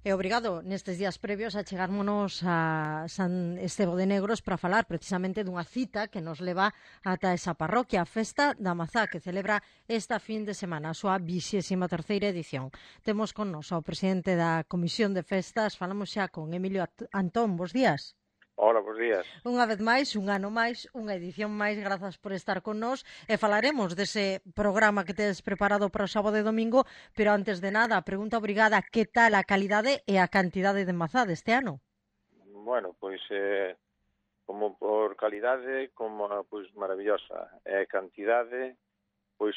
E obrigado nestes días previos a chegarmonos a San Estevo de Negros para falar precisamente dunha cita que nos leva ata esa parroquia, a Festa da Mazá, que celebra esta fin de semana a súa 23ª edición. Temos con nos ao presidente da Comisión de Festas, falamos xa con Emilio Antón, bos días. Hola, bos días. Unha vez máis, un ano máis, unha edición máis, grazas por estar con nós e falaremos dese programa que tedes preparado para o sábado e domingo, pero antes de nada, a pregunta obrigada, que tal a calidade e a cantidade de mazá deste ano? Bueno, pois como por calidade, como pois maravillosa. E cantidade, pois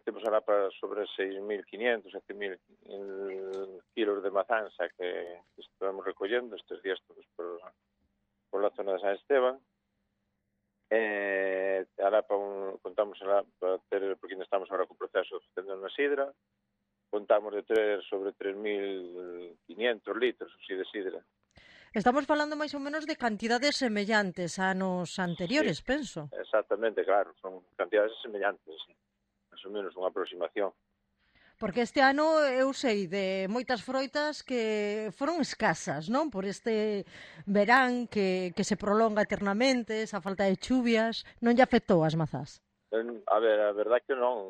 temos ahora para sobre 6.500, 7.000 kilos de mazanza que estamos recollendo estes días todos por la zona de San Esteban. Ahora contamos ahora para ter, porque ainda estamos ahora con o proceso de facendo na sidra, contamos de ter sobre 3.500 litros así de sidra. Estamos falando máis ou menos de cantidades semellantes a anos anteriores, Sí, penso. exactamente, claro, son cantidades semellantes, sí. Más ou menos unha aproximación. Porque este ano eu sei de moitas froitas que foron escasas, non? Por este verán que se prolonga eternamente, esa falta de chuvias, non lle afectou as mazás? A ver, a verdade que non.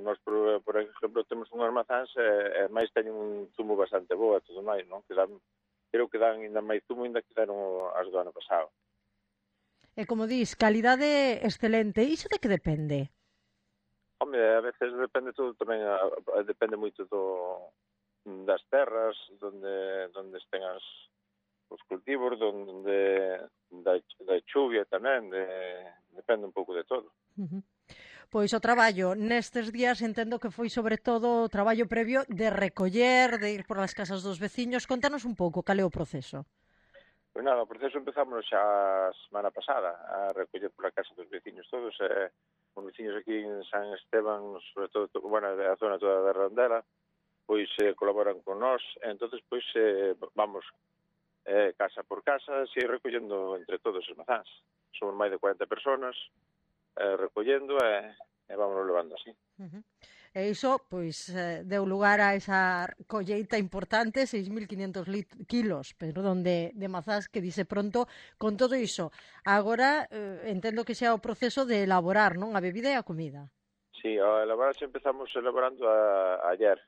Nos, por exemplo, temos unhas mazás e máis teñen un zumo bastante boa e todo máis, non? Que dan, creo que dan ainda máis zumo ainda que deron as do ano pasado. E como dis, calidade excelente. Iso de que depende? Home, a veces depende todo tamén, depende moito das terras, donde estén os cultivos, da chuvia tamén, depende un pouco de todo. Pois o traballo nestes días entendo que foi sobre todo o traballo previo de recoller, de ir por as casas dos veciños. Contanos un pouco cal é o proceso. Pois nada, o proceso empezamos xa a semana pasada a recoller pola casa dos veciños todos, os veciños aquí en San Esteban, sobre todo, bueno, a zona toda da Randela, pois colaboran con nós, entonces pois vamos casa por casa, así recollendo entre todos os mazáns. Somos máis de 40 personas recollendo e vámonos levando así. E iso, pois, deu lugar a esa colleita importante, 6.500 kilos, perdón, de mazás que dice pronto. Con todo iso, agora entendo que xa o proceso de elaborar, non? A bebida e a comida. Sí, a elaborar xa empezamos elaborando ayer.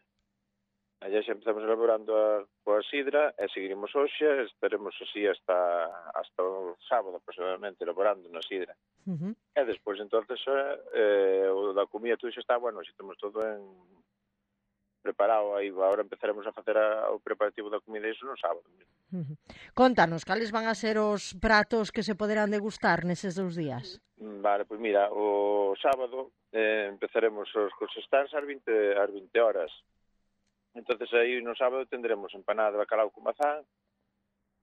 Ayer xa empezamos elaborando coa sidra e seguiremos hoxe, estaremos así hasta o sábado aproximadamente elaborando na sidra. E despois entonces o da comida todo xa está, bueno, xa temos todo preparado aí, agora empezaremos a facer o preparativo da comida iso no sábado. Contanos, cales van a ser os pratos que se poderán degustar neses 2 días? Vale, pois mira, o sábado empezaremos os stands ás 20 horas. Entonces aí no sábado tendremos empanada de bacalao con mazán,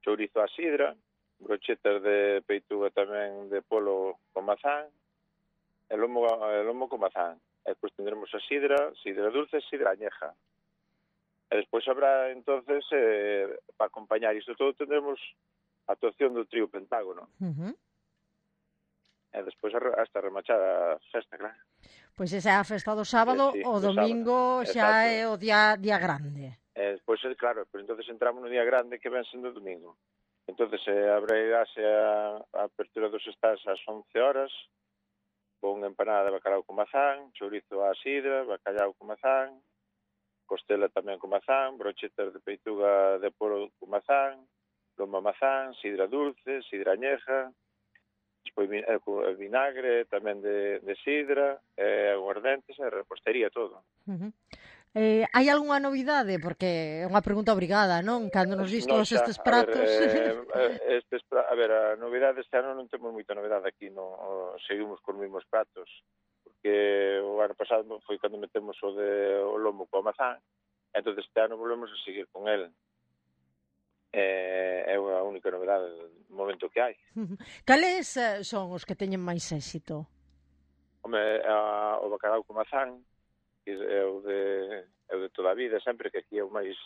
chourizo á sidra, brochetas de peituga tamén de polo con mazán, e lomo con mazán. E despois tendremos a sidra dulce e sidra añeja. E despois habrá, entonces, para acompañar isto todo, tendremos a actuación do trío Pentágono. E despois hasta remachar a festa, claro. Pois esa é a festa do sábado, sí, o domingo xa é o día grande. E despois, claro, pois entonces entramos no día grande que ven sendo domingo. Entonces abrirase a apertura dos stands ás 11 horas, con empanada de bacalao con mazán, chourizo á sidra, bacalao con mazán, costela tamén con mazán, brochetas de peituga de poro con mazán, lomo mazán, sidra dulce, sidra añeja, despois vinagre tamén de sidra, aguardentes e repostería todo. Hai algunha novidade? Porque é unha pregunta obrigada, non? Cando nos dis todos estes pratos... A ver, a novidade este ano non temos moita novidade aquí, seguimos con os mesmos pratos, porque o ano pasado foi cando metemos o lomo coa mazán, entonces este ano volvemos a seguir con el. É a única novidade do momento que hai. Cales son os que teñen máis éxito? Home, o bacalao con mazán, que é o de toda a vida, sempre, que aquí é o máis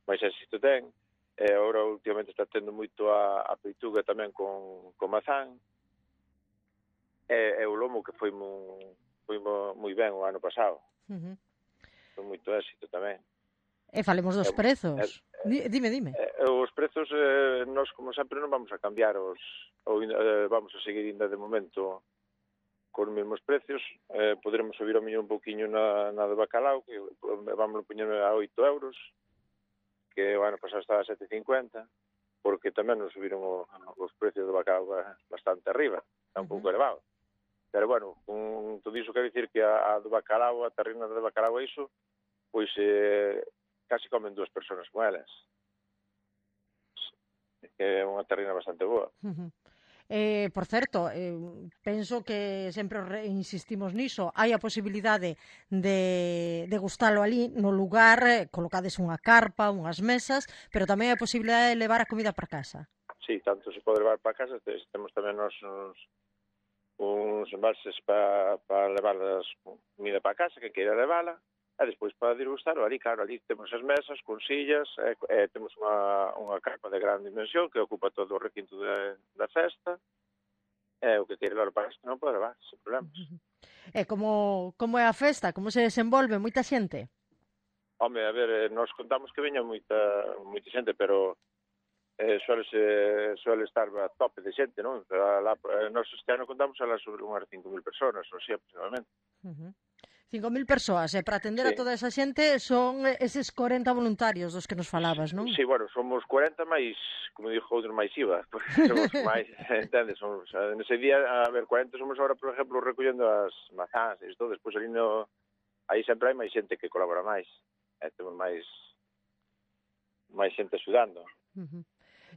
éxito ten. E agora últimamente está tendo moito a peituga tamén con mazán. E o lomo que foi moi ben o ano pasado. Foi moito éxito tamén. E falemos dos prezos. Dime. Os prezos, nós, como sempre, non vamos a cambiar vamos a seguir ainda de momento con os mesmos precios. Poderemos subir o millón un poquinho na de bacalao, que vamos a poñer a 8 euros, que o ano pasado estaba a 7,50, porque tamén nos subiron os precios do bacalao bastante arriba, está un pouco elevado. Pero, bueno, con todo iso quero dicir que a do bacalao, a terrina de bacalao e iso, pois casi comen 2 persoas con elas. Que é unha terrina bastante boa. Por certo, penso que sempre insistimos niso, hai a posibilidade de gustalo ali no lugar, colocades unha carpa, unhas mesas, pero tamén hai a posibilidade de levar a comida para casa. Sí, tanto se pode levar para casa, temos tamén uns embalses para levar as comida para casa, que queira levala, e despois para degustalo ali, claro, ali temos as mesas con sillas, temos unha carpa de gran dimensión que ocupa todo o requinto da festa, e o que queira levar para casa non pode levar, sen problemas. E como é a festa? Como se desenvolve? Moita xente? Home, a ver, nós contamos que veña moita xente, pero suele estar a tope de xente, non? Nós este ano contamos a sobre unhas 5.000 personas, ou así, aproximadamente. 5.000 persoas, e para atender a toda esa xente son eses 40 voluntarios dos que nos falabas, non? Sí, bueno, somos 40 máis, como dixo outro, máis IVA, porque somos máis, entendes? Nese día, a ver, 40 somos ahora, por exemplo, recollendo as mazás e isto, despois ali aí sempre hai máis xente que colabora máis, temos máis xente axudando.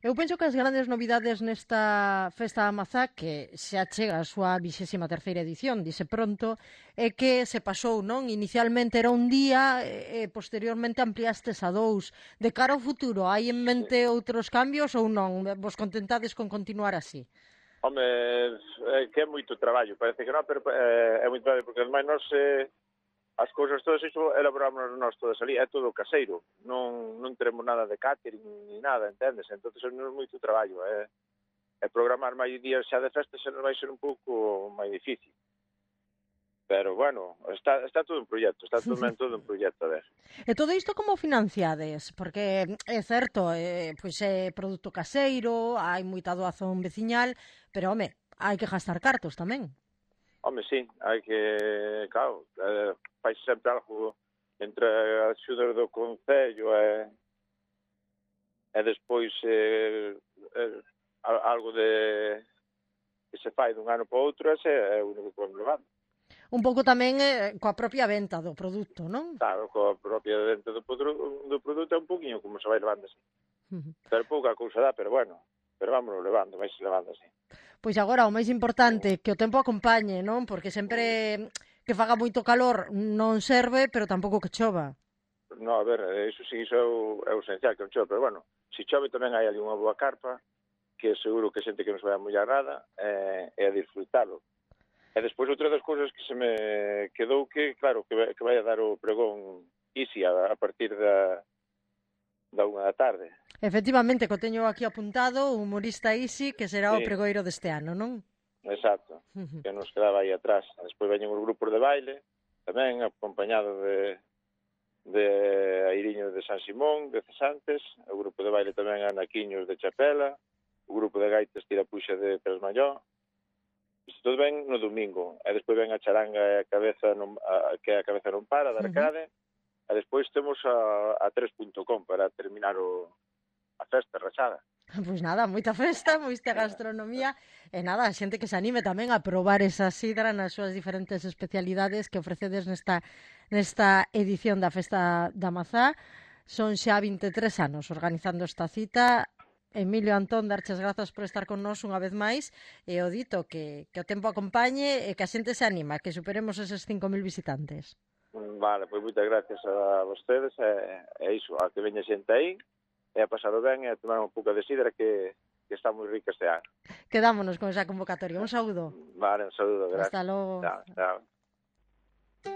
Eu penso que as grandes novidades nesta Festa da Mazá, que xa chega a súa 23ª edición, dice pronto, é que se pasou, non? Inicialmente era un día e posteriormente ampliastes a 2. De cara ao futuro, hai en mente outros cambios ou non? Vos contentades con continuar así? Home, que é moito traballo, parece que non, pero é moito traballo, porque ademais nós as cousas todas iso elaboramos nós todas ali, é todo caseiro, non teremos nada de catering ni nada, entendes? Entonces é moito traballo, programar máis días xa de festa xa nos vai ser un pouco máis difícil. Pero, bueno, está todo un proxecto, todo un proxecto, a ver. E todo isto como financiades? Porque é certo, pois é produto caseiro, hai moita doazón veciñal, pero, home, hai que gastar cartos tamén. Home, sí, hai que, claro, fai sempre algo entre as axudas do Concello e despois algo que se fai dun ano para outro, ese é o único que vamos levando. Un pouco tamén coa propia venta do produto, non? Claro, coa propia venta do produto é un poquinho como se vai levando así. Pero pouca cousa dá, pero bueno, vámonos levando, vais levando así. Pois agora o máis importante, que o tempo acompañe, non? Porque sempre que faga moito calor non serve, pero tampouco que chova. No, a ver, iso sí, iso é o esencial, que non chove, pero bueno, se chove tamén hai ali unha boa carpa, que seguro que xente que nos vai a mollar nada, e a disfrutalo. E despois outra das cousas que se me quedou que, claro, que vai a dar o pregón Isi a partir da 1 da tarde. Efectivamente, que o teño aquí apuntado, o humorista Isi, que será o pregoiro deste ano, non? Exacto, que nos quedaba aí atrás. Despois veñen os grupos de baile, tamén acompañado de Airiños de San Simón, de Cesantes, o grupo de baile tamén Anaquiños de Chapela, o grupo de gaitas Tirapuxa de Trasmalló. Isto todo ven no domingo, e despois ven a charanga e a cabeza que a cabeza non para, da Arcade, e despois temos a 3.com para terminar a festa rachada. Pois nada, moita festa, moita gastronomía e nada, a xente que se anime tamén a probar esa sidra nas súas diferentes especialidades que ofrecedes nesta edición da Festa da Mazá. Son xa 23 anos organizando esta cita. Emilio, Antón, darches grazas por estar con nós unha vez máis e o dito que o tempo acompañe e que a xente se anima, que superemos eses 5.000 visitantes. Vale, pois moitas gracias a vostedes e iso, a que veña xente aí e a pasado ben e a tomar un pouco de sidra que está moi rica este ano. Quedámonos con esa convocatoria. Un saúdo. Vale, un saúdo, gracias. Hasta logo. Chao, chao.